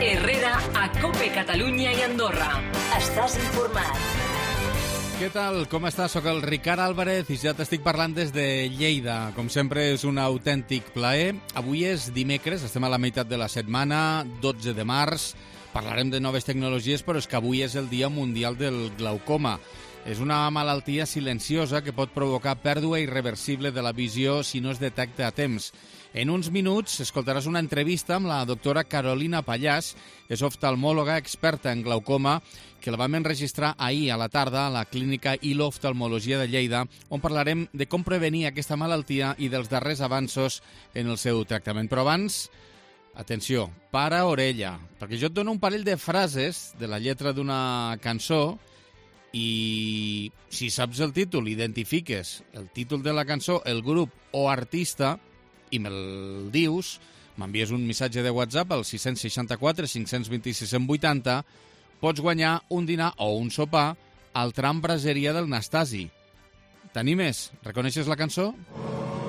Herrera a COPE Catalunya i Andorra. Estàs informat. Què tal? Com estàs? Soc el Ricard Álvarez i ja t'estic parlant des de Lleida. Com sempre és un autèntic plaer. Avui és dimecres, estem a la meitat de la setmana, 12 de març. Parlarem de noves tecnologies, però és que avui és el Dia Mundial del Glaucoma. És una malaltia silenciosa que pot provocar pèrdua irreversible de la visió si no es detecta a temps. En uns minuts escoltaràs una entrevista amb la doctora Carolina Pallàs, és oftalmòloga experta en glaucoma, que la vam enregistrar ahir a la tarda a la clínica ILO Oftalmologia de Lleida, on parlarem de com prevenir aquesta malaltia i dels darrers avanços en el seu tractament. Però abans, atenció, para orella, perquè jo et dono un parell de frases de la lletra d'una cançó i si saps el títol, identifiques el títol de la cançó, el grup o artista i me'l dius, m'envies un missatge de WhatsApp al 664 526 180, pots guanyar un dinar o un sopar al tram Braseria del Nastasi. T'animes? Reconeixes la cançó?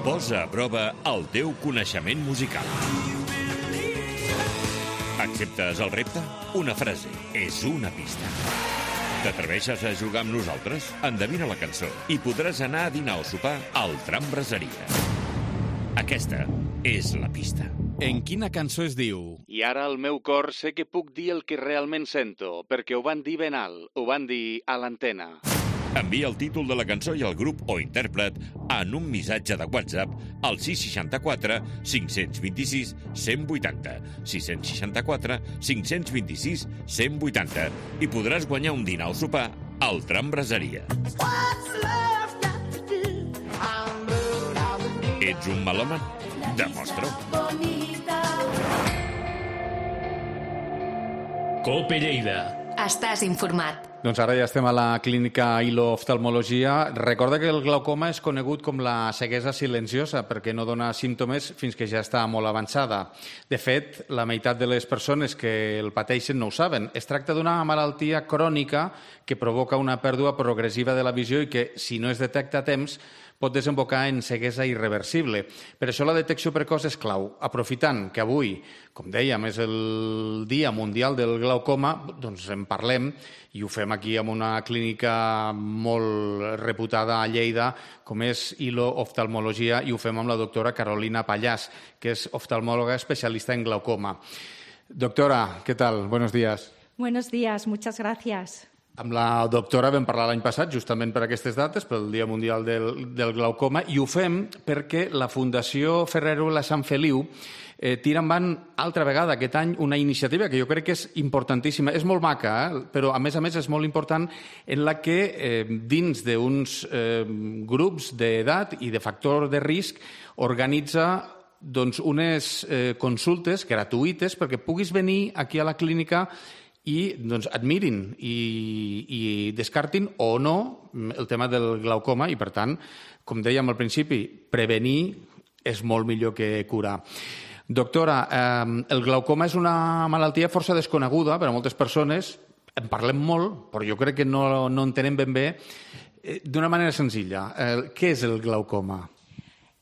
Posa a prova el teu coneixement musical. Acceptes el repte? Una frase és una pista. T'atreveixes a jugar amb nosaltres? Endevina la cançó i podràs anar a dinar o sopar al tram Braseria. Aquesta és la pista. En quina cançó es diu? I ara al meu cor sé que puc dir el que realment sento, perquè ho van dir ben alt, ho van dir a l'antena. Envia el títol de la cançó i el grup o intèrpret en un missatge de WhatsApp al 664 526 180, 664 526 180 i podràs guanyar un dinar o sopar al tram Braseria. Ets un melòman? Demostra-ho. COPE Lleida. Estàs informat. Doncs ara ja estem a la clínica ILO Oftalmologia. Recorda que el glaucoma és conegut com la ceguesa silenciosa perquè no dona símptomes fins que ja està molt avançada. De fet, la meitat de les persones que el pateixen no ho saben. Es tracta d'una malaltia crònica que provoca una pèrdua progressiva de la visió i que, si no es detecta a temps, pot desembocar en ceguesa irreversible. Per això la detecció precoç és clau. Aprofitant que avui, com dèiem, és el Dia Mundial del Glaucoma, doncs en parlem i ho fem aquí amb una clínica molt reputada a Lleida, com és ILO Oftalmologia, i ho fem amb la doctora Carolina Pallàs, que és oftalmòloga especialista en glaucoma. Doctora, ¿qué tal? Buenos días. Buenos días, muchas gracias. Amb la doctora vam parlar l'any passat, justament per aquestes dates, pel Dia Mundial del Glaucoma, i ho fem perquè la Fundació Ferrero La Sant Feliu tira endavant altra vegada aquest any una iniciativa que jo crec que és importantíssima. És molt maca, però a més és molt important, en la que dins d'uns grups d'edat i de factor de risc organitza unes consultes gratuïtes perquè puguis venir aquí a la clínica i admirin i descartin o no el tema del glaucoma i, per tant, com dèiem al principi, prevenir és molt millor que curar. Doctora, el glaucoma és una malaltia força desconeguda per a moltes persones, en parlem molt, però jo crec que no entenem ben bé. D'una manera senzilla, què és el glaucoma?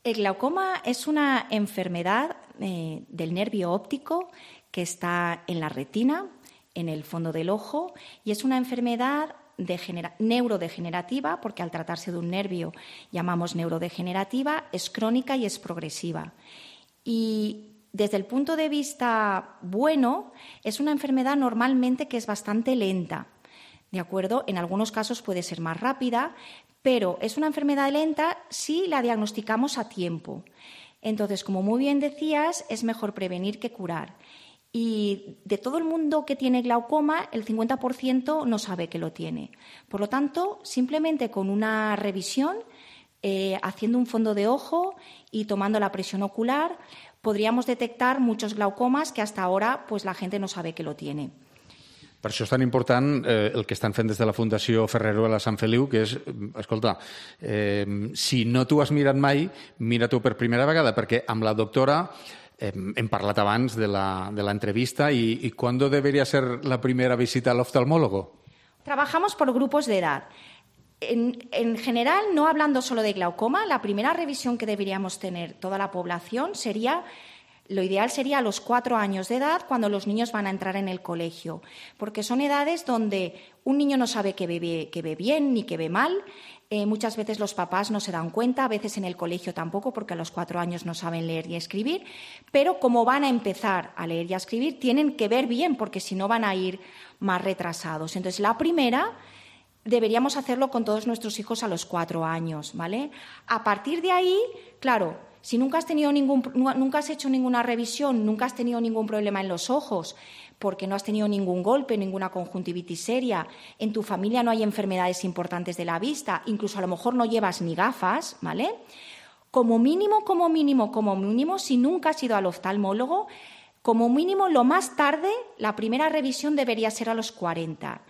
El glaucoma es una enfermedad del nervio óptico que está en la retina, en el fondo del ojo, y es una enfermedad neurodegenerativa, porque al tratarse de un nervio llamamos neurodegenerativa, es crónica y es progresiva. Y desde el punto de vista bueno, es una enfermedad normalmente que es bastante lenta, ¿de acuerdo? En algunos casos puede ser más rápida, pero es una enfermedad lenta si la diagnosticamos a tiempo. Entonces, como muy bien decías, es mejor prevenir que curar. Y de todo el mundo que tiene glaucoma, el 50% no sabe que lo tiene. Por lo tanto, simplemente con una revisión, haciendo un fondo de ojo y tomando la presión ocular, podríamos detectar muchos glaucomas que hasta ahora pues, la gente no sabe que lo tiene. Per això és tan important el que estan fent des de la Fundació Ferrero La Sant Feliu, que és, escolta, si no t'ho has mirat mai, mira-t'ho per primera vegada, perquè amb la doctora hem parlat abans de la entrevista y ¿cuándo debería ser la primera visita al oftalmólogo? Trabajamos por grupos de edad. En general, no hablando solo de glaucoma, la primera revisión que deberíamos tener toda la población sería lo ideal sería a los 4 años de edad, cuando los niños van a entrar en el colegio, porque son edades donde un niño no sabe que ve bien ni que ve mal. Muchas veces los papás no se dan cuenta, a veces en el colegio tampoco, porque a los 4 años no saben leer y escribir, pero como van a empezar a leer y a escribir, tienen que ver bien, porque si no van a ir más retrasados. Entonces, la primera deberíamos hacerlo con todos nuestros hijos a los 4 años, ¿vale? A partir de ahí, claro, si nunca has hecho ninguna revisión, nunca has tenido ningún problema en los ojos, porque no has tenido ningún golpe, ninguna conjuntivitis seria, en tu familia no hay enfermedades importantes de la vista, incluso a lo mejor no llevas ni gafas, ¿vale? Como mínimo, si nunca has ido al oftalmólogo, como mínimo lo más tarde, la primera revisión debería ser a los 40.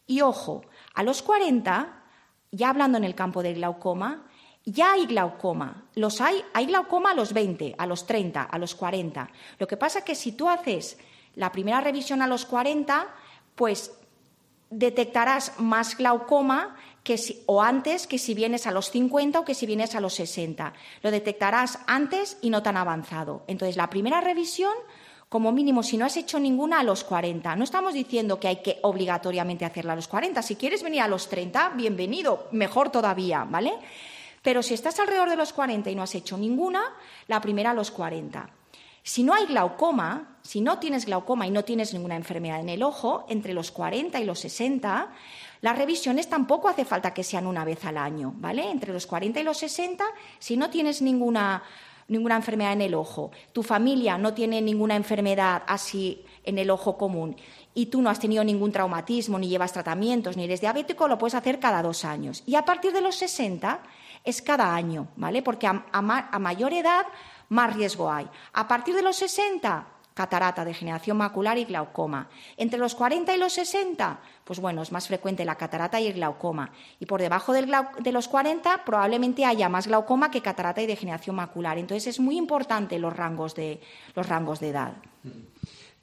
Y ojo, a los 40, ya hablando en el campo del glaucoma, ya hay glaucoma. Hay glaucoma a los 20, a los 30, a los 40. Lo que pasa es que si tú haces la primera revisión a los 40, pues detectarás más glaucoma o antes que si vienes a los 50 o que si vienes a los 60. Lo detectarás antes y no tan avanzado. Entonces, la primera revisión, como mínimo, si no has hecho ninguna, a los 40. No estamos diciendo que hay que obligatoriamente hacerla a los 40. Si quieres venir a los 30, bienvenido, mejor todavía, ¿vale? Pero si estás alrededor de los 40 y no has hecho ninguna, la primera a los 40. Si no hay glaucoma, si no tienes glaucoma y no tienes ninguna enfermedad en el ojo, entre los 40 y los 60, las revisiones tampoco hace falta que sean una vez al año, ¿vale? Entre los 40 y los 60, si no tienes ninguna enfermedad en el ojo, tu familia no tiene ninguna enfermedad así en el ojo común y tú no has tenido ningún traumatismo, ni llevas tratamientos, ni eres diabético, lo puedes hacer cada 2 años. Y a partir de los 60 es cada año, ¿vale? Porque a mayor edad más riesgo hay. A partir de los 60, catarata, degeneración macular y glaucoma. Entre los 40 y los 60, pues bueno, es más frecuente la catarata y el glaucoma. Y por debajo de los 40 probablemente haya más glaucoma que catarata y degeneración macular. Entonces es muy importante los rangos de edad.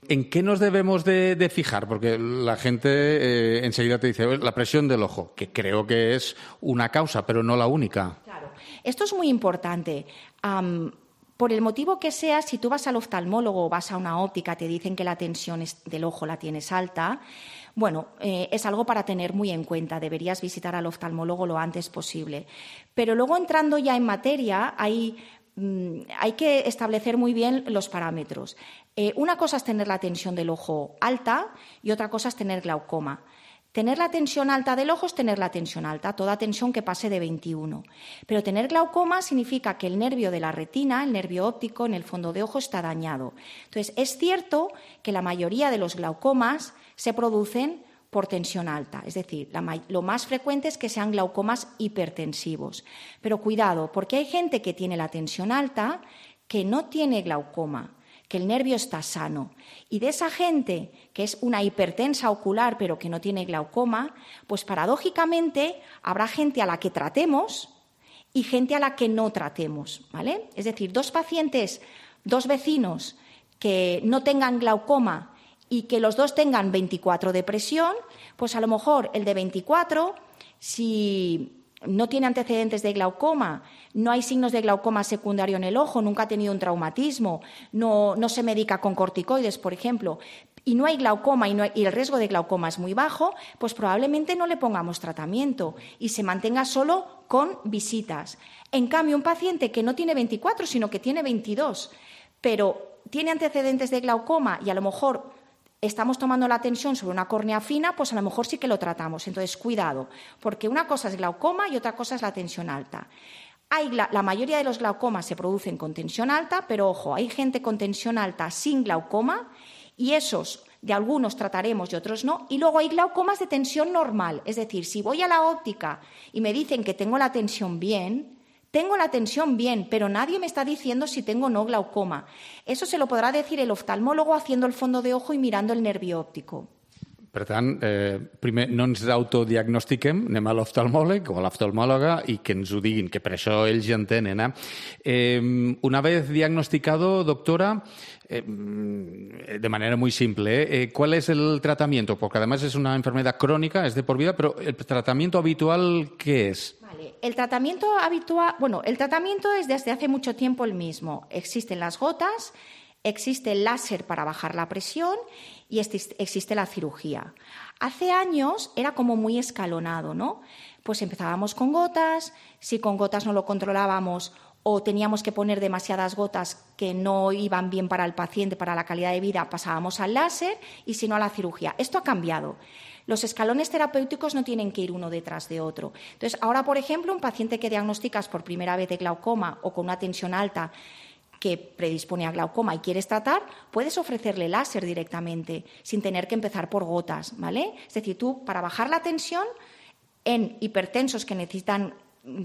¿En qué nos debemos de fijar? Porque la gente enseguida te dice la presión del ojo, que creo que es una causa, pero no la única. Claro, esto es muy importante. Por el motivo que sea, si tú vas al oftalmólogo o vas a una óptica, te dicen que la tensión del ojo la tienes alta, bueno, es algo para tener muy en cuenta. Deberías visitar al oftalmólogo lo antes posible. Pero luego, entrando ya en materia, hay que establecer muy bien los parámetros. Una cosa es tener la tensión del ojo alta y otra cosa es tener glaucoma. Tener la tensión alta del ojo es tener la tensión alta, toda tensión que pase de 21. Pero tener glaucoma significa que el nervio de la retina, el nervio óptico en el fondo de ojo, está dañado. Entonces, es cierto que la mayoría de los glaucomas se producen por tensión alta, es decir, lo más frecuente es que sean glaucomas hipertensivos. Pero cuidado, porque hay gente que tiene la tensión alta que no tiene glaucoma, que el nervio está sano. Y de esa gente que es una hipertensa ocular pero que no tiene glaucoma, pues paradójicamente habrá gente a la que tratemos y gente a la que no tratemos, ¿vale? Es decir, 2 pacientes, 2 vecinos que no tengan glaucoma y que los 2 tengan 24 de presión, pues a lo mejor el de 24, si no tiene antecedentes de glaucoma, no hay signos de glaucoma secundario en el ojo, nunca ha tenido un traumatismo, no se medica con corticoides, por ejemplo, y no hay glaucoma y el riesgo de glaucoma es muy bajo, pues probablemente no le pongamos tratamiento y se mantenga solo con visitas. En cambio, un paciente que no tiene 24, sino que tiene 22, pero tiene antecedentes de glaucoma y a lo mejor estamos tomando la tensión sobre una córnea fina, pues a lo mejor sí que lo tratamos. Entonces, cuidado, porque una cosa es glaucoma y otra cosa es la tensión alta. La mayoría de los glaucomas se producen con tensión alta, pero ojo, hay gente con tensión alta sin glaucoma y esos de algunos trataremos y otros no. Y luego hay glaucomas de tensión normal, es decir, si voy a la óptica y me dicen que tengo la tensión bien, pero nadie me está diciendo si tengo o no glaucoma. Eso se lo podrà decir el oftalmólogo haciendo el fondo de ojo y mirando el nervio óptico. Per tant, primer no ens autodiagnostiquem, anem a l'oftalmòleg o a l'oftalmòloga i que ens ho diguin, que per això ells ja en tenen. Una vez diagnosticado, doctora, de manera muy simple, ¿cuál es el tratamiento? Porque además es una enfermedad crónica, es de por vida, pero ¿el tratamiento habitual qué es? Vale, el tratamiento habitual, el tratamiento es desde hace mucho tiempo el mismo. Existen las gotas. existe el láser para bajar la presión y existe la cirugía. Hace años era como muy escalonado, ¿no? Pues empezábamos con gotas, si con gotas no lo controlábamos o teníamos que poner demasiadas gotas que no iban bien para el paciente, para la calidad de vida, pasábamos al láser y si no a la cirugía. Esto ha cambiado. Los escalones terapéuticos no tienen que ir uno detrás de otro. Entonces, ahora, por ejemplo, un paciente que diagnosticas por primera vez de glaucoma o con una tensión alta que predispone a glaucoma y quieres tratar, puedes ofrecerle láser directamente, sin tener que empezar por gotas, ¿vale? Es decir, tú, para bajar la tensión en hipertensos que necesitan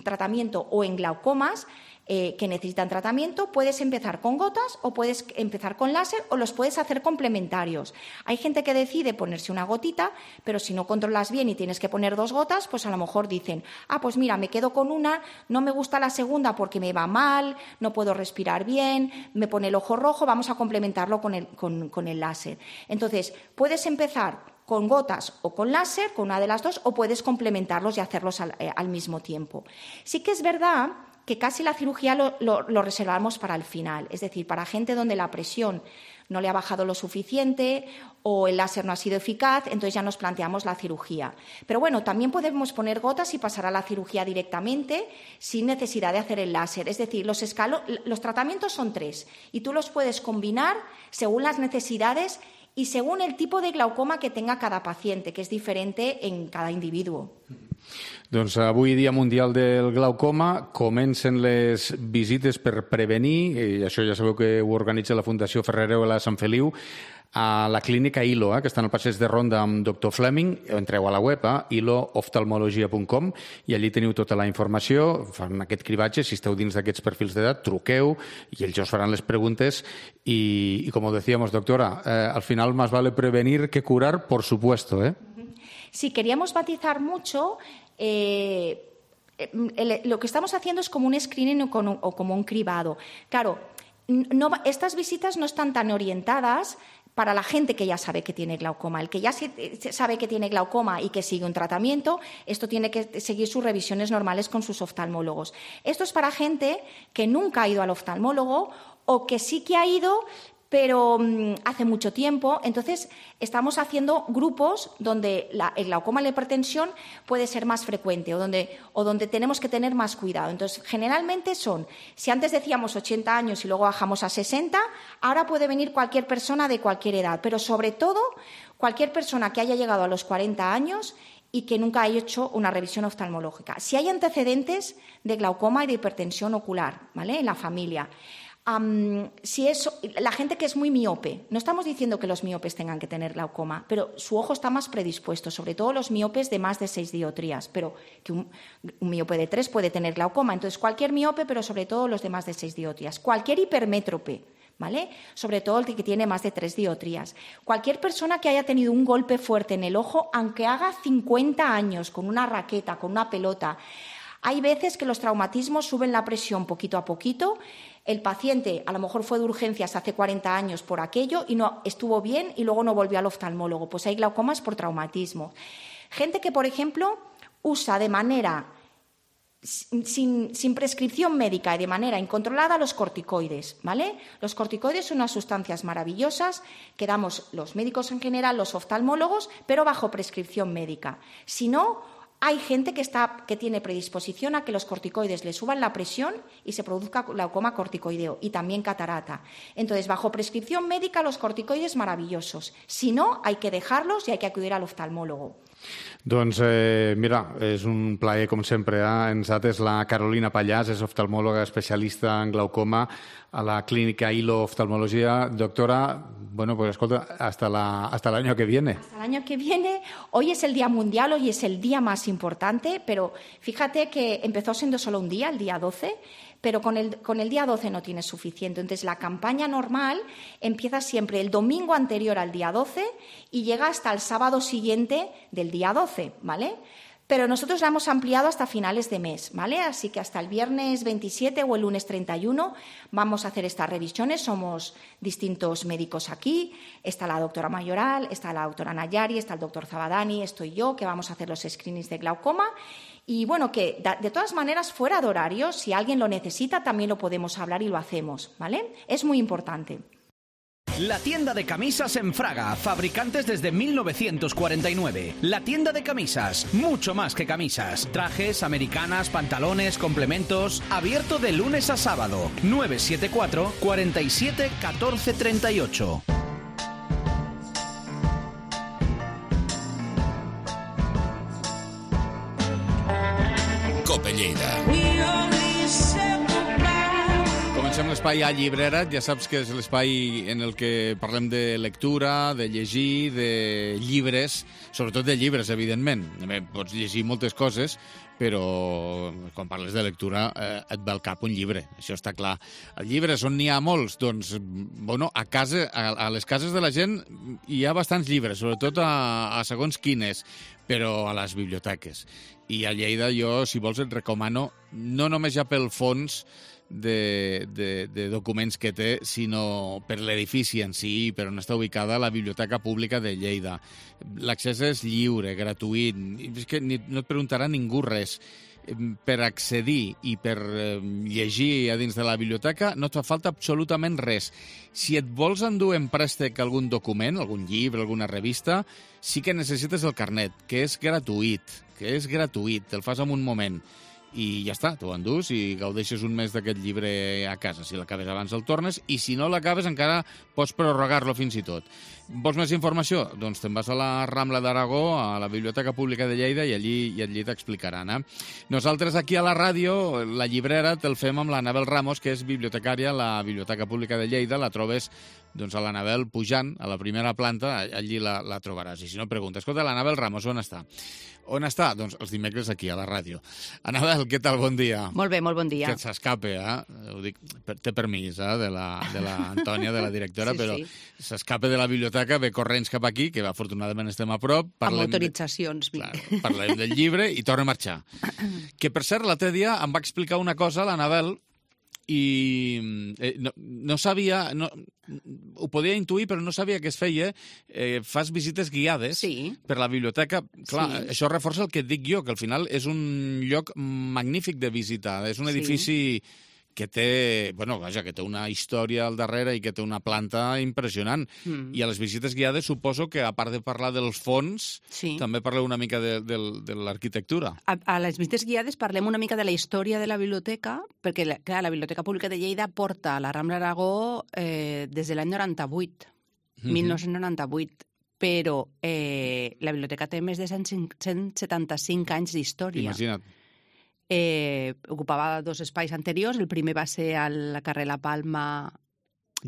tratamiento o en glaucomas que necesitan tratamiento, puedes empezar con gotas o puedes empezar con láser o los puedes hacer complementarios. Hay gente que decide ponerse una gotita, pero si no controlas bien y tienes que poner 2 gotas, pues a lo mejor dicen, pues mira, me quedo con una, no me gusta la segunda porque me va mal, no puedo respirar bien, me pone el ojo rojo, vamos a complementarlo con el láser. Entonces, puedes empezar con gotas o con láser, con una de las dos, o puedes complementarlos y hacerlos al mismo tiempo. Sí que es verdad que casi la cirugía lo reservamos para el final, es decir, para gente donde la presión no le ha bajado lo suficiente o el láser no ha sido eficaz, entonces ya nos planteamos la cirugía. Pero bueno, también podemos poner gotas y pasar a la cirugía directamente sin necesidad de hacer el láser. Es decir, los tratamientos son 3 y tú los puedes combinar según las necesidades y según el tipo de glaucoma que tenga cada paciente, que és diferente en cada individuo. Doncs avui, Dia Mundial del Glaucoma, comencen les visites per prevenir, i això ja sabeu que ho organitza la Fundació Ferrereu-La Sant Feliu, a la clínica ILO, que està en el passeig de Ronda amb Dr. Fleming. Entreu a la web, ilooftalmologia.com, i allí teniu tota la informació, fan aquest cribatge, si esteu dins d'aquests perfils d'edat, truqueu, i ells us faran les preguntes, y como decíamos, doctora, al final más vale prevenir que curar, por supuesto, ¿eh? Sí, queríamos matizar mucho. Lo que estamos haciendo es como un screening o como un cribado. Claro, estas visitas no están tan orientadas para la gente que ya sabe que tiene glaucoma. El que ya sabe que tiene glaucoma y que sigue un tratamiento, esto tiene que seguir sus revisiones normales con sus oftalmólogos. Esto es para gente que nunca ha ido al oftalmólogo o que sí que ha ido, pero hace mucho tiempo. Entonces, estamos haciendo grupos donde el glaucoma y la hipertensión puede ser más frecuente o donde tenemos que tener más cuidado. Entonces, generalmente si antes decíamos 80 años y luego bajamos a 60, ahora puede venir cualquier persona de cualquier edad, pero sobre todo cualquier persona que haya llegado a los 40 años y que nunca haya hecho una revisión oftalmológica. Si hay antecedentes de glaucoma y de hipertensión ocular, ¿vale?, en la familia. La gente que es muy miope, no estamos diciendo que los miopes tengan que tener glaucoma, pero su ojo está más predispuesto, sobre todo los miopes de más de 6 dioptrías, pero que un miope de 3 puede tener glaucoma. Entonces, cualquier miope, pero sobre todo los de más de 6 dioptrías. Cualquier hipermétrope, ¿vale?, sobre todo el que tiene más de 3 dioptrías. Cualquier persona que haya tenido un golpe fuerte en el ojo, aunque haga 50 años, con una raqueta, con una pelota. Hay veces que los traumatismos suben la presión poquito a poquito. El paciente a lo mejor fue de urgencias hace 40 años por aquello y no estuvo bien y luego no volvió al oftalmólogo. Pues hay glaucomas por traumatismo. Gente que, por ejemplo, usa de manera sin prescripción médica y de manera incontrolada los corticoides, ¿vale? Los corticoides son unas sustancias maravillosas que damos los médicos en general, los oftalmólogos, pero bajo prescripción médica. Si no, hay gente que tiene predisposición a que los corticoides le suban la presión y se produzca glaucoma corticoideo y también catarata. Entonces, bajo prescripción médica, los corticoides maravillosos. Si no, hay que dejarlos y hay que acudir al oftalmólogo. Doncs, mira, és un plaer, com sempre. Ens ha atès la Carolina Pallàs, és oftalmòloga especialista en glaucoma a la clínica ILO Oftalmología. Doctora, bueno, pues escolta, hasta el año que viene. Hasta el año que viene. Hoy es el Día Mundial, hoy es el día más importante, pero fíjate que empezó siendo solo un día, el día 12, pero con el día 12 no tienes suficiente. Entonces, la campaña normal empieza siempre el domingo anterior al día 12 y llega hasta el sábado siguiente del día 12, ¿vale? Pero nosotros la hemos ampliado hasta finales de mes, ¿vale? Así que hasta el viernes 27 o el lunes 31 vamos a hacer estas revisiones. Somos distintos médicos aquí. Está la doctora Mayoral, está la doctora Nayari, está el doctor Zabadani, estoy yo, que vamos a hacer los screenings de glaucoma. Y bueno, que de todas maneras, fuera de horario, si alguien lo necesita, también lo podemos hablar y lo hacemos, ¿vale? Es muy importante. La tienda de camisas en Fraga, fabricantes desde 1949. La tienda de camisas, mucho más que camisas. Trajes, americanas, pantalones, complementos. Abierto de lunes a sábado. 974 47 14 38. Cope Lleida. Comencem l'espai a Llibrera. Ja saps que és l'espai en el que parlem de lectura, de llegir, de llibres, sobretot de llibres, evidentment. Pots llegir moltes coses, però quan parles de lectura et ve al cap un llibre, això està clar. Els llibres, on n'hi ha molts? Doncs, bueno, a les cases de la gent hi ha bastants llibres, sobretot a segons quines, però a les biblioteques. I a Lleida jo, si vols, et recomano, no només ja pel fons de documents que té, sinó per l'edifici en si i per on està ubicada la Biblioteca Pública de Lleida. L'accés és lliure, gratuït, és que no et preguntarà ningú res. Per accedir i per llegir a dins de la biblioteca no et fa falta absolutament res. Si et vols endur en préstec algun document, algun llibre, alguna revista, sí que necessites el carnet, que és gratuït, te'l fas en un moment. I ja està, t'ho endús i gaudeixes un mes d'aquest llibre a casa. Si l'acabes abans el tornes, i si no l'acabes encara pots prorrogar-lo fins i tot. Vols més informació? Doncs te'n vas a la Rambla d'Aragó, a la Biblioteca Pública de Lleida, i allí t'explicaran. Nosaltres aquí a la ràdio, la llibrera, te'l fem amb l'Anabel Ramos, que és bibliotecària a la Biblioteca Pública de Lleida. La trobes doncs, a l'Anabel pujant a la primera planta, allí la trobaràs. I si no, pregunta, escolta, l'Anabel Ramos on està? On està? Doncs els dimecres aquí, a la ràdio. Anabel, què tal? Bon dia. Molt bé, molt bon dia. Que s'escape, Ho dic, té permís, de la Antònia, de la directora, sí, però s'escape de la biblioteca, ve corrents cap aquí, que afortunadament estem a prop. Amb autoritzacions. Clar, parlem del llibre i torna a marxar. Que, per cert, l'altre dia em va explicar una cosa, l'Anabel, i no sabia, ho podia intuir, però no sabia que es feia. Fas visites guiades per la biblioteca. Clar, això reforça el que et dic jo, que al final és un lloc magnífic de visitar. És un edifici que té, que té una història al darrere i que té una planta impressionant. I a les visites guiades suposo que, a part de parlar dels fons, també parleu una mica de l'arquitectura. A les visites guiades parlem una mica de la història de la biblioteca, perquè, clar, la Biblioteca Pública de Lleida porta a la Rambla d'Aragó des de l'any 98, 1998. Però la biblioteca té més de 175 anys d'història. Imagina't. Ocupava dos espais anteriors. El primer va ser al carrer La Palma...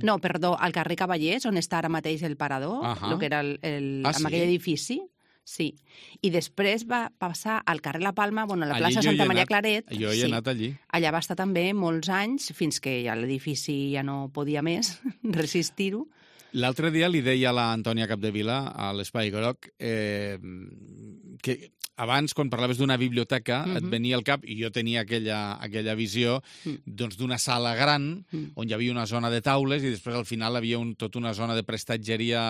No, perdó, al carrer Cavallers, on està ara mateix el Parador, el que era amb aquell edifici. Sí. I després va passar al carrer La Palma, a la plaça Santa Maria Claret. Jo he anat allí. Allà va estar també molts anys, fins que ja l'edifici ja no podia més resistir-ho. L'altre dia li deia a l'Antònia Capdevila, a l'Espai Groc, que abans, quan parlaves d'una biblioteca, et venia al cap, i jo tenia aquella visió, doncs d'una sala gran, on hi havia una zona de taules, i després al final havia tota una zona de prestatgeria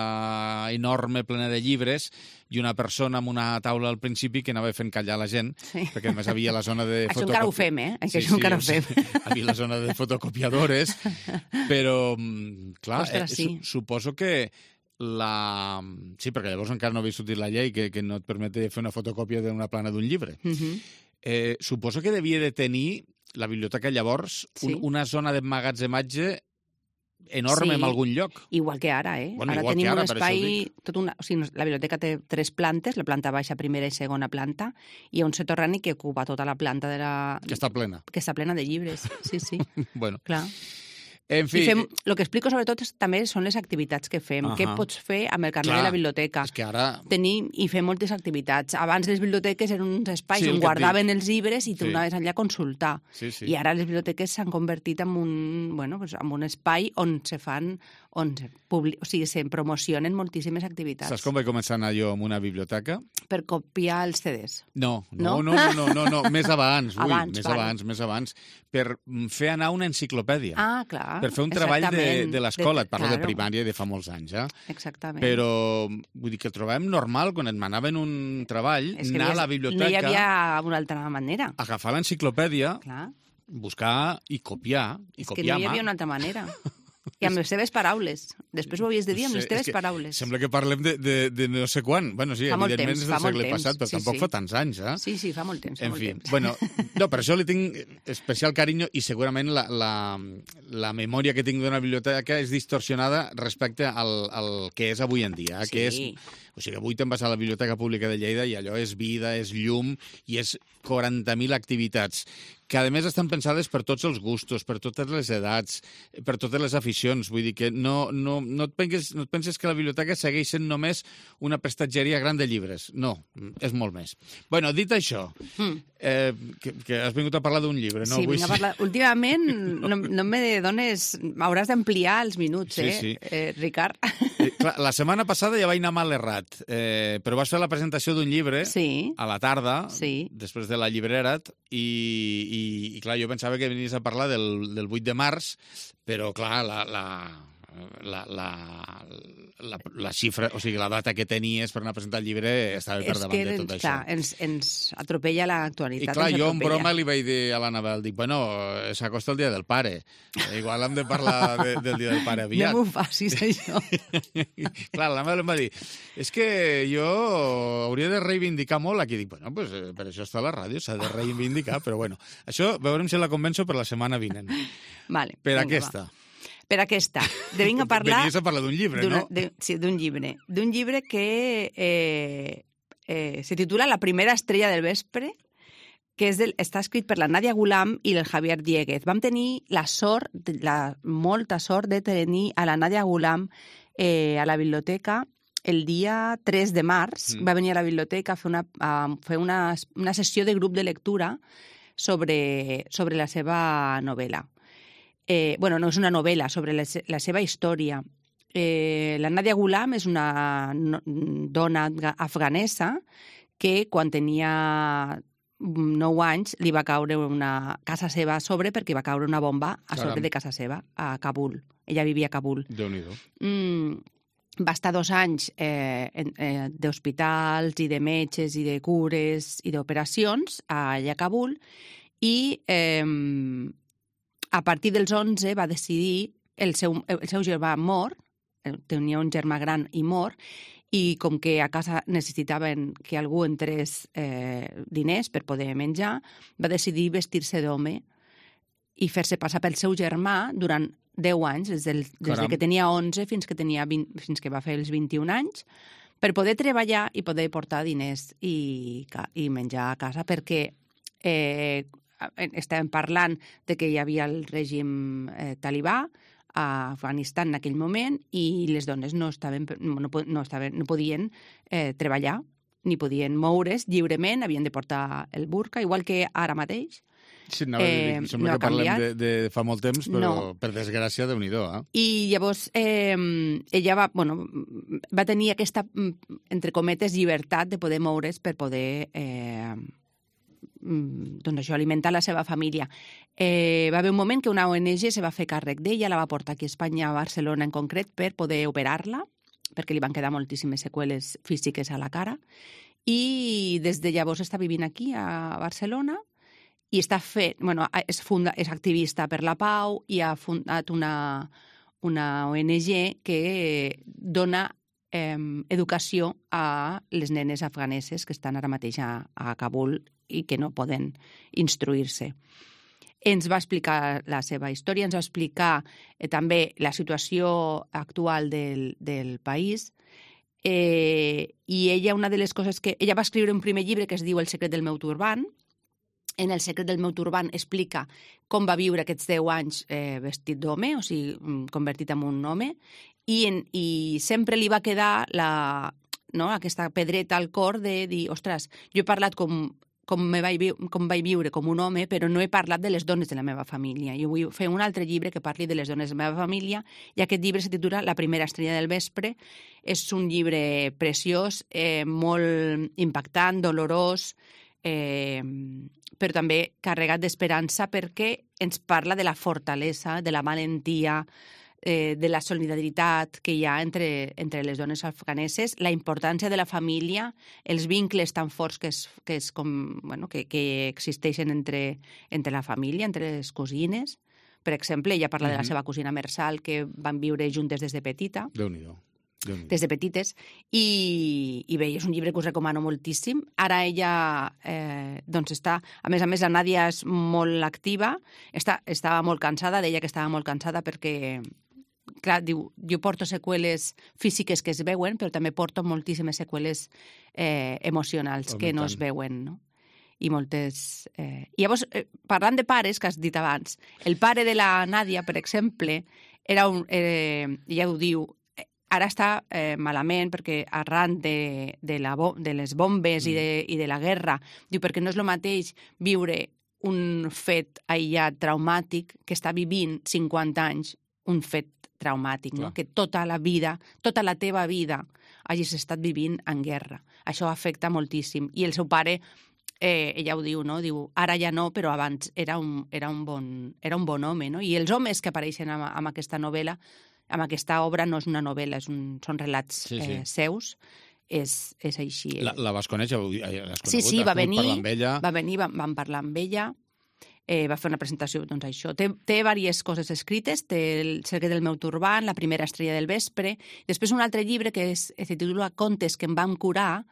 enorme, plena de llibres, i una persona amb una taula al principi que anava fent callar la gent, perquè a més havia la zona de... Això encara ho fem, Això encara ho fem. Havia la zona de fotocopiadores, però, clar, suposo que sí, perquè llavors encara no havia sortit la llei que no et permet fer una fotocòpia d'una plana d'un llibre. Suposo que devia de tenir la biblioteca llavors una zona d'emmagatzematge enorme en algun lloc. Igual que ara, Ara tenim un espai... La biblioteca té 3 plantes, la planta baixa, primera i segona planta, i hi ha un soterrani que ocupa tota la planta de la... Que està plena. Que està plena de llibres, sí. Bueno. Clar. En fi... El que explico sobretot també són les activitats que fem. Què pots fer amb el carnet de la biblioteca? És que ara... Tenim i fem moltes activitats. Abans les biblioteques eren uns espais on guardaven els llibres i tu anaves allà a consultar. I ara les biblioteques s'han convertit en un espai on se fan... se promocionen moltíssimes activitats. Saps com vaig començar a anar jo amb una biblioteca? Per copiar els CDs. No. Més abans. Més abans. Per fer anar una enciclopèdia. Ah, clar. Per fer un treball de l'escola. Et parlo de primària i de fa molts anys, Exactament. Però, vull dir que el trobàvem normal, quan et manaven un treball, anar a la biblioteca... No hi havia una altra manera. Agafar l'enciclopèdia, buscar i copiar. Que no hi havia una altra manera. I amb les seves paraules. Després ho havies de dir amb les teves paraules. Sembla que parlem de no sé quan. Bueno, sí, evidentment és del segle passat, però tampoc fa tants anys, eh? Sí, fa molt temps. En fi, bueno, no, per això li tinc especial carinyo i segurament la memòria que tinc d'una biblioteca és distorsionada respecte al que és avui en dia, que és... O sigui, avui te'n vas a la Biblioteca Pública de Lleida i allò és vida, és llum i és 40.000 activitats que, a més, estan pensades per tots els gustos, per totes les edats, per totes les aficions. Vull dir que no et penses que la biblioteca segueix sent només una prestatgeria gran de llibres. No, és molt més. Bueno, dit això, que has vingut a parlar d'un llibre, no? Sí, vinc a parlar... Últimament no me dones... M'hauràs d'ampliar els minuts, sí. Ricard? Clar, la setmana passada ja vaig anar mal errat, però vas fer la presentació d'un llibre a la tarda, després de la llibrera't, i clar, jo pensava que venies a parlar del 8 de març, però clar, la xifra, o sigui, la data que tenies per anar a presentar el llibre estava per davant de tot això. Clar, ens atropella l'actualitat. I clar, jo en broma li vaig dir a l'Anabel, dic, bueno, s'acosta el dia del pare. Igual hem de parlar del dia del pare aviat. No m'ho facis, això. Clar, l'Anabel em va dir, és que jo hauria de reivindicar molt aquí. Dic, bueno, pues, per això està la ràdio, s'ha de reivindicar, però bueno, això veurem si la convenço per la setmana vinent. Vale, per aquesta. Per aquesta. Venies a parlar d'un llibre, no? Sí, d'un llibre. D'un llibre que se titula La primera estrella del vespre, que està escrit per la Nadia Gulam i el Javier Dieguez. Vam tenir molta sort de tenir a la Nadia Gulam a la biblioteca el dia 3 de març. Va venir a la biblioteca a fer una sessió de grup de lectura sobre la seva novel·la. Bueno, no és una novel·la, sobre la seva història. La Nadia Gulam és una dona afganesa que quan tenia 9 anys li va caure una casa seva a sobre perquè va caure una bomba a sobre de casa seva, a Kabul. Ella vivia a Kabul. Déu-n'hi-do. Va estar 2 anys d'hospitals i de metges i de cures i d'operacions allà a Kabul i a partir dels 11 va decidir, el seu germà mor, tenia un germà gran i mor, i com que a casa necessitaven que algú entrés diners per poder menjar, va decidir vestir-se d'home i fer-se passar pel seu germà durant 10 anys, des que tenia 11 fins que va fer els 21 anys, per poder treballar i poder portar diners i menjar a casa, perquè estàvem parlant de que hi havia el règim talibà a Afganistan en aquell moment i les dones no podien treballar ni podien moure's lliurement, havien de portar el burka, igual que ara mateix. Sí, sembla que parlem de fa molt temps, però per desgràcia, Déu-n'hi-do. I llavors ella va tenir aquesta, entre cometes, llibertat de poder moure's per poder alimentar la seva família. Va haver un moment que una ONG se va fer càrrec d'ella, la va portar aquí a Espanya, a Barcelona en concret, per poder operar-la, perquè li van quedar moltíssimes seqüeles físiques a la cara, i des de llavors està vivint aquí, a Barcelona, i és activista per la pau i ha fundat una ONG que dona educació a les nenes afganeses que estan ara mateix a Kabul i que no poden instruir-se. Ens va explicar la seva història, ens va explicar també la situació actual del país i ella, una de les coses que... Ella va escriure un primer llibre que es diu El secret del meu turbant. En El secret del meu turbant explica com va viure aquests 10 anys vestit d'home, o sigui, convertit en un home, i sempre li va quedar aquesta pedreta al cor de dir, ostres, jo he parlat com vaig viure com un home, però no he parlat de les dones de la meva família. Jo vull fer un altre llibre que parli de les dones de la meva família, i aquest llibre se titula La primera estrella del vespre. És un llibre preciós, molt impactant, dolorós, però també carregat d'esperança perquè ens parla de la fortalesa, de la valentia, de la solidaritat que hi ha entre les dones afganeses, la importància de la família, els vincles tan forts que existeixen entre la família, entre les cosines, Per exemple, ella parla de la seva cosina Mersal, que van viure juntes des de petita. Déu-n'hi-do. Des de petites, i bé, és un llibre que us recomano moltíssim. Ara ella doncs està... A més, la Nàdia és molt activa, estava molt cansada, deia que estava molt cansada perquè, clar, diu, jo porto seqüeles físiques que es veuen, però també porto moltíssimes seqüeles emocionals que no es veuen, no? I moltes... I llavors, parlant de pares, que has dit abans, el pare de la Nàdia, per exemple, era un... ja ho diu, ara està malament perquè arran de les bombes i de la guerra, diu, perquè no és el mateix viure un fet aïllat traumàtic que està vivint 50 anys un fet traumàtic, no? Que tota la teva vida hagis estat vivint en guerra. Això afecta moltíssim. I el seu pare, ella ho diu, no? Diu, ara ja no, però abans era un bon home, no? I els homes que apareixen en aquesta novel·la, amb aquesta obra, no és una novel·la, són relats seus, és així. La vas conèixer? Sí, va venir, vam parlar amb ella, va fer una presentació, doncs això. Té diverses coses escrites, té El secret del meu turbant, La primera estrella del vespre, després un altre llibre que es titula Contes que em van curar,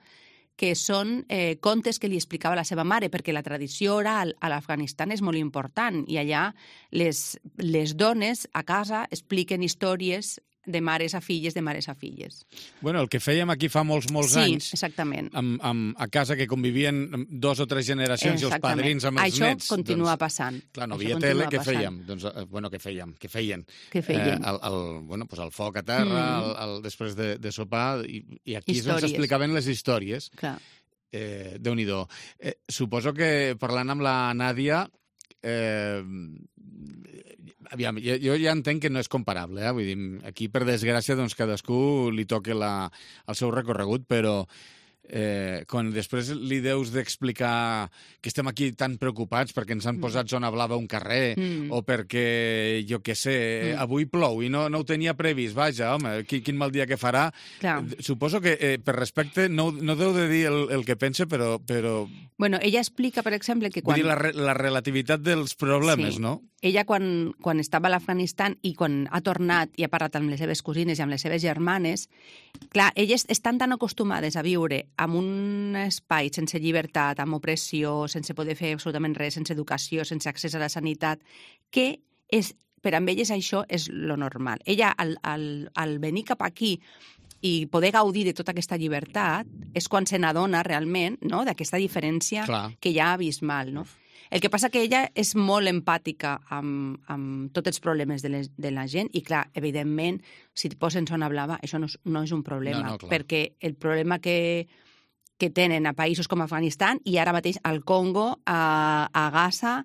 que són contes que li explicava la seva mare, perquè la tradició oral a l'Afganistan és molt important i allà les dones a casa expliquen històries de mares a filles, de mares a filles. Bueno, el que fèiem aquí fa molts anys... Sí, exactament. A casa que convivien 2 o 3 generacions i els padrins amb els nets. Això continua passant. Clar, no havia tele, què fèiem? Doncs, què feien? El foc a terra, després de sopar, i aquí és on s'explicaven les històries. Clar. Déu-n'hi-do. Suposo que parlant amb la Nàdia... Aviam, jo ja entenc que no és comparable, vull dir, aquí per desgràcia doncs cadascú li toca el seu recorregut, però quan després li deus d'explicar que estem aquí tan preocupats perquè ens han posat zona blava a un carrer o perquè, jo què sé, avui plou i no ho tenia previst, vaja, home, quin mal dia que farà. Clar. Suposo que per respecte no deu de dir el que pensa, però... Bueno, ella explica, per exemple, que quan... Vull dir, la relativitat dels problemes, sí. No? Ella, quan estava a l'Afganistan i quan ha tornat i ha parlat amb les seves cosines i amb les seves germanes, clar, elles estan tan acostumades a viure en un espai sense llibertat, amb opressió, sense poder fer absolutament res, sense educació, sense accés a la sanitat, que per amb elles això és lo normal. Ella, al venir cap aquí i poder gaudir de tota aquesta llibertat, és quan se n'adona realment, no?, d'aquesta diferència que hi ha abismal, no? El que passa que ella és molt empàtica amb tots els problemes de la gent i, clar, evidentment, si et posen zona blava, això no és un problema, perquè el problema que tenen a països com Afganistan i ara mateix al Congo, a Gaza,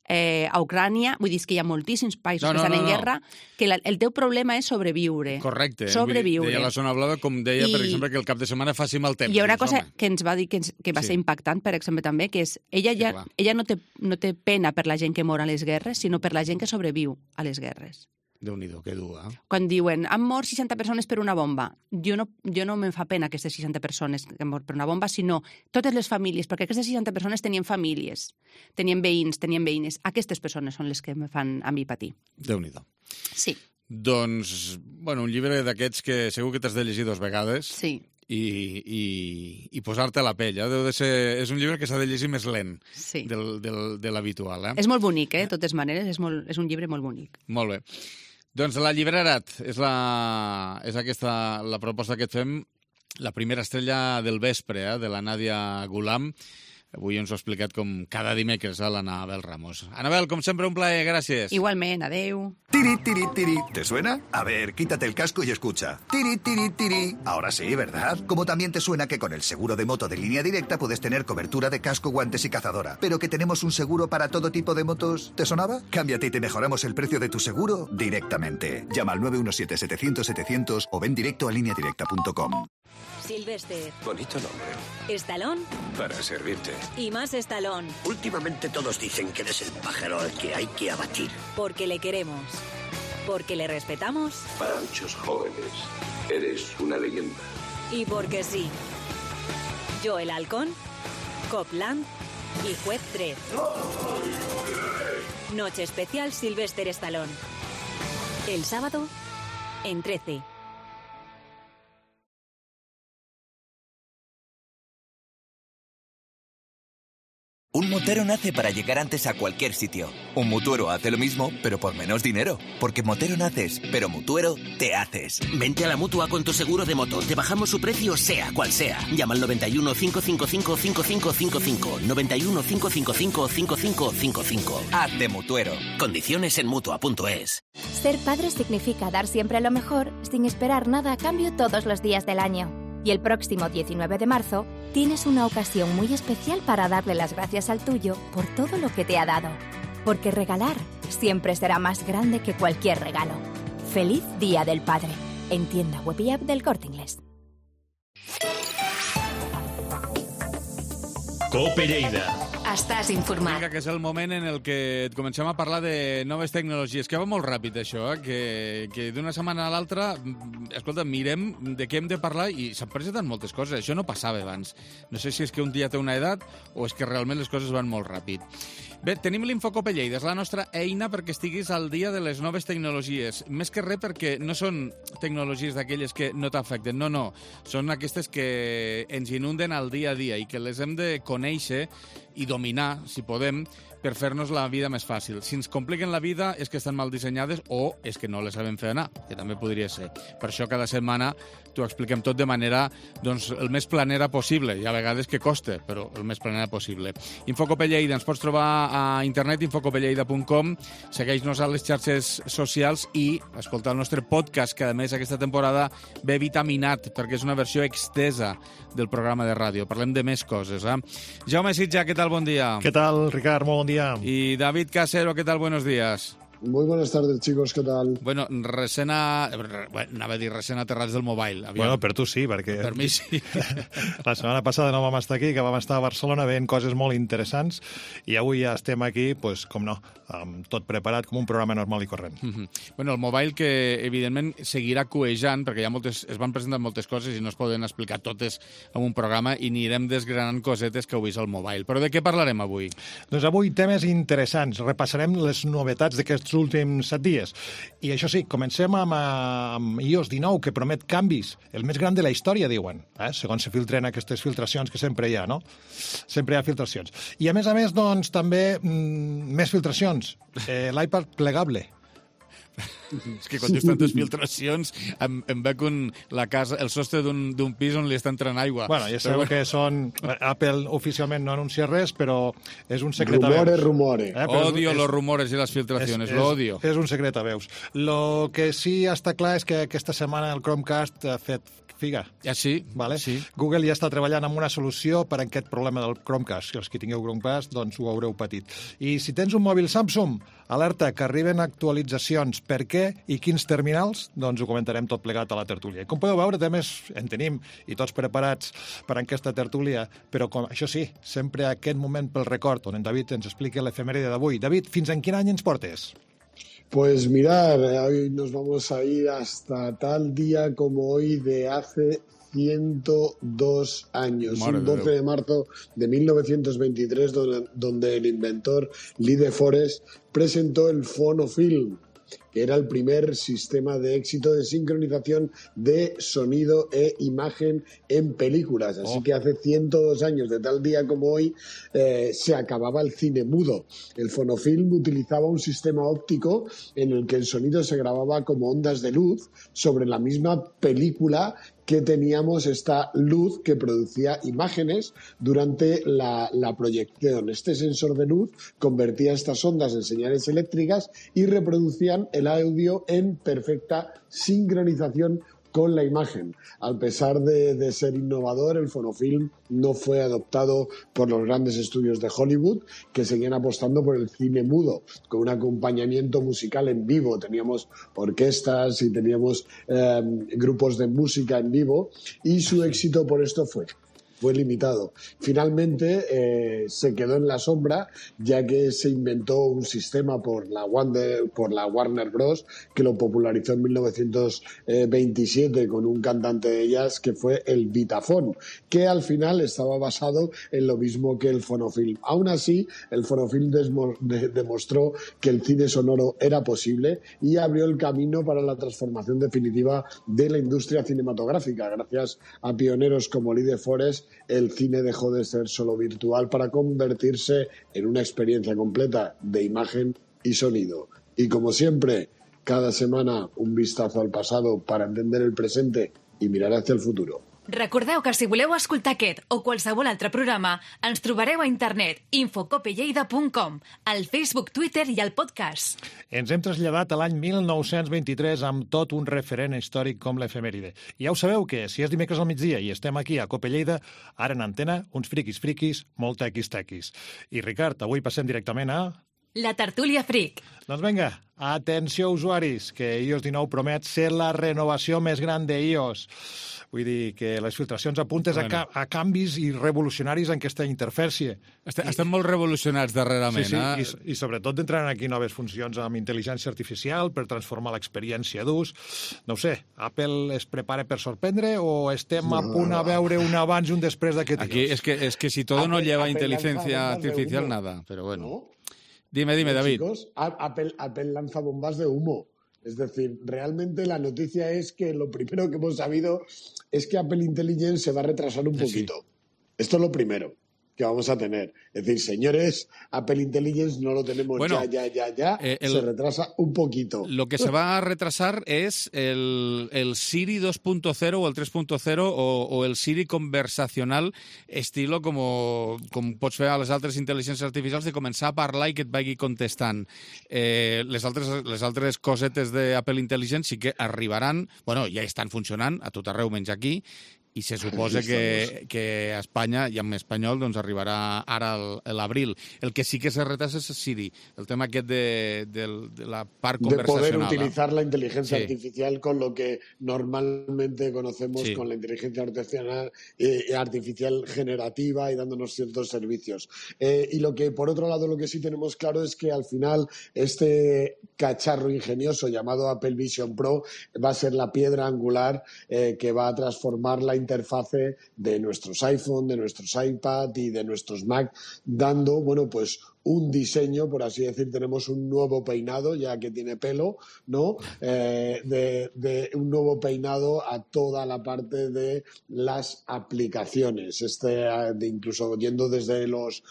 a Ucrània, vull dir que hi ha moltíssims països que estan en guerra, que el teu problema és sobreviure. Correcte. Sobreviure. Deia la zona blava, com deia, per exemple, que el cap de setmana faci mal temps. Hi ha una cosa que ens va dir que va ser impactant, per exemple, també, que és ella no té pena per la gent que mor a les guerres, sinó per la gent que sobreviu a les guerres. Déu-n'hi-do, que dur, Quan diuen, han mort 60 persones per una bomba, jo no me'n fa pena aquestes 60 persones que han mort per una bomba, sinó totes les famílies, perquè aquestes 60 persones tenien famílies, tenien veïns, tenien veïnes. Aquestes persones són les que me fan a mi patir. Déu-n'hi-do. Sí. Doncs, bueno, un llibre d'aquests que segur que t'has de llegir 2 vegades. Sí. I posar-te a la pell. Deu de ser... És un llibre que s'ha de llegir més lent de l'habitual. És molt bonic, de totes maneres. És un llibre molt bonic. Molt bé. Doncs La Llibrerat és aquesta la proposta que et fem, La primera estrella del vespre, de la Nàdia Gulam. Avui ens ho ha explicat com cada dimecres a l'Anabel Ramos. Anabel, com sempre, un plaer, gràcies. Igualment, adeu. Tiri, tiri, tiri. ¿Te suena? A ver, quítate el casco y escucha. Tiri, tiri, tiri. Ahora sí, ¿verdad? Como también te suena que con el seguro de moto de Línea Directa puedes tener cobertura de casco, guantes y cazadora. Pero que tenemos un seguro para todo tipo de motos. ¿Te sonaba? Cámbiate y te mejoramos el precio de tu seguro directamente. Llama al 917-700-700 o ven directo a lineadirecta.com. Sylvester. Bonito nombre. Stallone. Para servirte. Y más Stallone. Últimamente todos dicen que eres el pájaro al que hay que abatir. Porque le queremos. Porque le respetamos. Para muchos jóvenes, eres una leyenda. Y porque sí. Joel Halcón, Copland y Juez Dredd. Noche especial Sylvester Stallone. El sábado, en 13. Un motero nace para llegar antes a cualquier sitio. Un mutuero hace lo mismo, pero por menos dinero. Porque motero naces, pero mutuero te haces. Vente a la Mutua con tu seguro de moto. Te bajamos su precio sea cual sea. Llama al 91 555 5555. 91 555 5555. Haz de mutuero. Condiciones en Mutua.es. Ser padre significa dar siempre lo mejor, sin esperar nada a cambio todos los días del año. Y el próximo 19 de marzo tienes una ocasión muy especial para darle las gracias al tuyo por todo lo que te ha dado. Porque regalar siempre será más grande que cualquier regalo. ¡Feliz Día del Padre! En tienda web y app del Corte Inglés. Cope Lleida. Estàs informat. Vinga, que és el moment en el que comencem a parlar de noves tecnologies, que va molt ràpid això, que d'una setmana a l'altra, escolta, mirem de què hem de parlar i s'han presentat moltes coses. Això no passava abans. No sé si és que un dia té una edat o és que realment les coses van molt ràpid. Bé, tenim l'Infocope Lleida, és la nostra eina perquè estiguis al dia de les noves tecnologies. Més que res perquè no són tecnologies d'aquelles que no t'afecten, no. Són aquestes que ens inunden al dia a dia i que les hem de conèixer i dominar, si podem, per fer-nos la vida més fàcil. Si ens compliquen la vida és que estan mal dissenyades o és que no les sabem fer anar, que també podria ser. Per això cada setmana t'ho expliquem tot de manera el més planera possible. Hi ha vegades que costa, però el més planera possible. Infocope Lleida, ens pots trobar a internet, infocopelleida.com, segueix-nos a les xarxes socials i escolta el nostre podcast, que a més aquesta temporada ve vitaminat, perquè és una versió extesa del programa de ràdio. Parlem de més coses, Jaume Sitja, què tal? Bon dia. ¿Qué tal, Ricard? Muy buen día. Y David Casero, ¿qué tal? Buenos días. Muy buenas tardes, chicos, ¿qué tal? Bueno, anava a dir recent aterrats del mobile. Aviam. Bueno, per tu sí, perquè... Per mi sí. La setmana passada no vam estar aquí, que vam estar a Barcelona veient coses molt interessants, i avui ja estem aquí, pues, com no, amb tot preparat com un programa normal i corrent. Bueno, el mobile que, evidentment, seguirà cuejant, perquè es van presentar moltes coses i no es poden explicar totes en un programa i anirem desgranant cosetes que heu vist al mobile. Però de què parlarem avui? Doncs avui temes interessants. Repassarem les novetats d'aquests últims 7 dies. I això sí, comencem amb iOS 19, que promet canvis. El més gran de la història, diuen. Segons se filtren aquestes filtracions que sempre hi ha, no? Sempre hi ha filtracions. I a més, doncs, també més filtracions. L'iPad plegable. És que quan dius tantes filtracions em veig el sostre d'un pis on li està entrant aigua. Bueno, ja sabeu que són... Apple oficialment no anuncia res, però és un secret a veus. Rumores. Odio los rumores y las filtraciones, lo odio. És un secret a veus. Lo que sí està clar és que aquesta setmana el Chromecast ha fet figa. Ja sí, vale? Sí. Google ja està treballant en una solució per a aquest problema del Chromecast. Els que tingueu Chromecast, doncs ho haureu patit. I si tens un mòbil Samsung, alerta que arriben actualitzacions. Per què i quins terminals? Doncs ho comentarem tot plegat a la tertúlia. Com podeu veure, temes en tenim i tots preparats per a aquesta tertúlia, però això sí, sempre a aquest moment pel record, on en David ens explica l'efemèride d'avui. David, fins en quin any ens portes? Pues mirad, hoy nos vamos a ir hasta tal día como hoy de hace 102 años, un 12 de marzo de 1923, donde el inventor Lee De Forest presentó el Phonofilm, que era el primer sistema de éxito de sincronización de sonido e imagen en películas. Así que hace 102 años, de tal día como hoy, se acababa el cine mudo. El Phonofilm utilizaba un sistema óptico en el que el sonido se grababa como ondas de luz sobre la misma película que teníamos esta luz que producía imágenes durante la proyección. Este sensor de luz convertía estas ondas en señales eléctricas y reproducían el audio en perfecta sincronización con la imagen. A pesar de ser innovador, el Phonofilm no fue adoptado por los grandes estudios de Hollywood, que seguían apostando por el cine mudo, con un acompañamiento musical en vivo. Teníamos orquestas y teníamos grupos de música en vivo, y su éxito por esto fue fue limitado. Finalmente se quedó en la sombra, ya que se inventó un sistema por la Warner Bros. Que lo popularizó en 1927 con un cantante de jazz que fue el Vitaphone, que al final estaba basado en lo mismo que el fonofilm. Aún así, el fonofilm demostró que el cine sonoro era posible y abrió el camino para la transformación definitiva de la industria cinematográfica. Gracias a pioneros como Lee de Forest, el cine dejó de ser solo virtual para convertirse en una experiencia completa de imagen y sonido. Y como siempre, cada semana un vistazo al pasado para entender el presente i mirar hacia el futuro. Recordeu que si voleu escoltar aquest o qualsevol altre programa, ens trobareu a internet infocopelleida.com, al Facebook, Twitter i al podcast. Ens hem traslladat a l'any 1923 amb tot un referent històric com l'efemèride. I ja ho sabeu que si és dimecres al migdia i estem aquí a Cope Lleida, ara en antena, uns friquis, molt tequis. I Ricard, avui passem directament a... La tertúlia fric. Doncs vinga, atenció usuaris, que iOS 19 promet ser la renovació més gran d'iOS. Vull dir que les filtracions apunten a canvis i revolucionaris en aquesta interfície. Estem molt revolucionats darrerament. Sí, i sobretot entraran aquí noves funcions amb intel·ligència artificial per transformar l'experiència d'ús. No ho sé, Apple es prepara per sorprendre o estem a punt a veure un abans i un després d'aquest Aquí es que si todo no lleva inteligencia artificial, nada. Pero bueno. ¿No? Dime, David. Chicos, Apple lanza bombas de humo. Es decir, realmente la noticia es que lo primero que hemos sabido es que Apple Intelligence se va a retrasar un poquito. Sí. Esto es lo primero que vamos a tener. Es decir, señores, Apple Intelligence no lo tenemos ya. Se retrasa un poquito. Lo que se va a retrasar es el Siri 2.0 o el 3.0 o el Siri conversacional, estilo com pots fer a les altres intel·ligències artificials, de començar a parlar i que et vagi contestant. Les altres cosetes d'Apple Intelligence sí que arribaran, bueno, ja estan funcionant a tot arreu menys aquí, i se suposa que a Espanya, i en espanyol, doncs arribarà ara l'abril. El que sí que se retrasa es Siri, el tema aquest de la part conversacional. De poder utilizar la inteligencia artificial con lo que normalmente conocemos con la inteligencia artificial generativa y dándonos ciertos servicios. Y lo que, por otro lado, lo que sí tenemos claro es que al final este cacharro ingenioso llamado Apple Vision Pro va a ser la piedra angular que va a transformar la interfase de nuestros iPhone, de nuestros iPad y de nuestros Mac, dando, bueno, pues un diseño, por así decir, tenemos un nuevo peinado, ya que tiene pelo, ¿no? De un nuevo peinado a toda la parte de las aplicaciones, incluso yendo desde los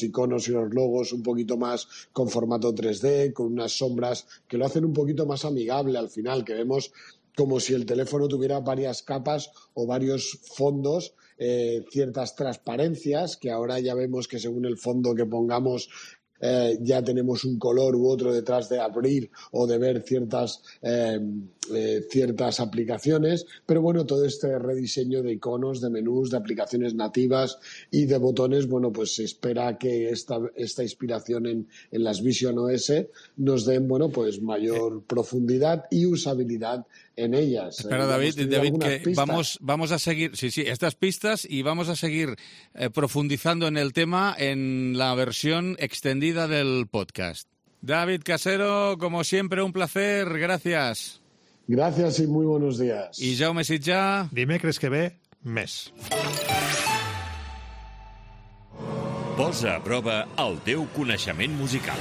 iconos y los logos un poquito más con formato 3D, con unas sombras que lo hacen un poquito más amigable al final, que vemos como si el teléfono tuviera varias capas o varios fondos, ciertas transparencias, que ahora ya vemos que según el fondo que pongamos ya tenemos un color u otro detrás de abrir o de ver ciertas aplicaciones, pero bueno, todo este rediseño de iconos, de menús, de aplicaciones nativas y de botones, bueno, pues se espera que esta inspiración en las Vision OS nos den, bueno, pues mayor profundidad y usabilidad en ellas. Espera, David, que vamos a seguir, estas pistas, y vamos a seguir profundizando en el tema en la versión extendida del podcast. David Casero, como siempre, un placer, gracias. Gracias y muy buenos días. I Jaume Sitjà. Dimecres que ve, més. Posa a prova el teu coneixement musical.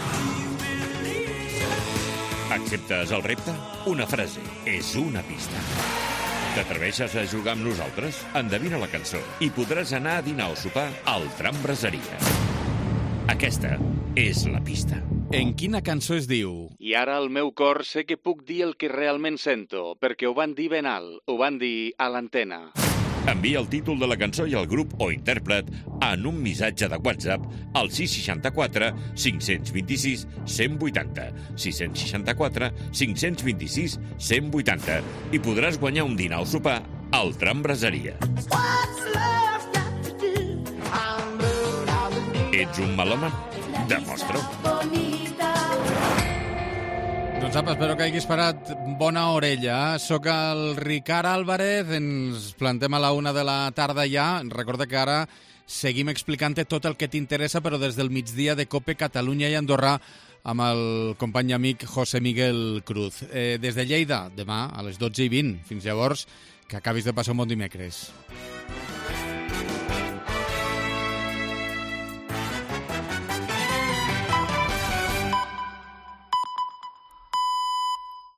Acceptes el repte? Una frase és una pista. T'atreveixes a jugar amb nosaltres? Endevina la cançó i podràs anar a dinar o sopar al Tram Braseria. Aquesta és la pista. En quina cançó es diu? I ara al meu cor sé que puc dir el que realment sento, perquè ho van dir ben alt, ho van dir a l'antena. Envia el títol de la cançó i el grup o intèrpret en un missatge de WhatsApp al 664 526 180, 664 526 180, i podràs guanyar un dinar o sopar al Tram Braseria. Ets un melòman? Demostra-ho. Doncs apa, espero que hagis parat bona orella. Soc el Ricard Álvarez, ens plantem a la 1 de la tarda ja. Recorda que ara seguim explicant-te tot el que t'interessa, però des del migdia de COPE Catalunya i Andorra amb el company i amic José Miguel Cruz. Des de Lleida, demà a les 12:20. Fins llavors, que acabis de passar un bon dimecres.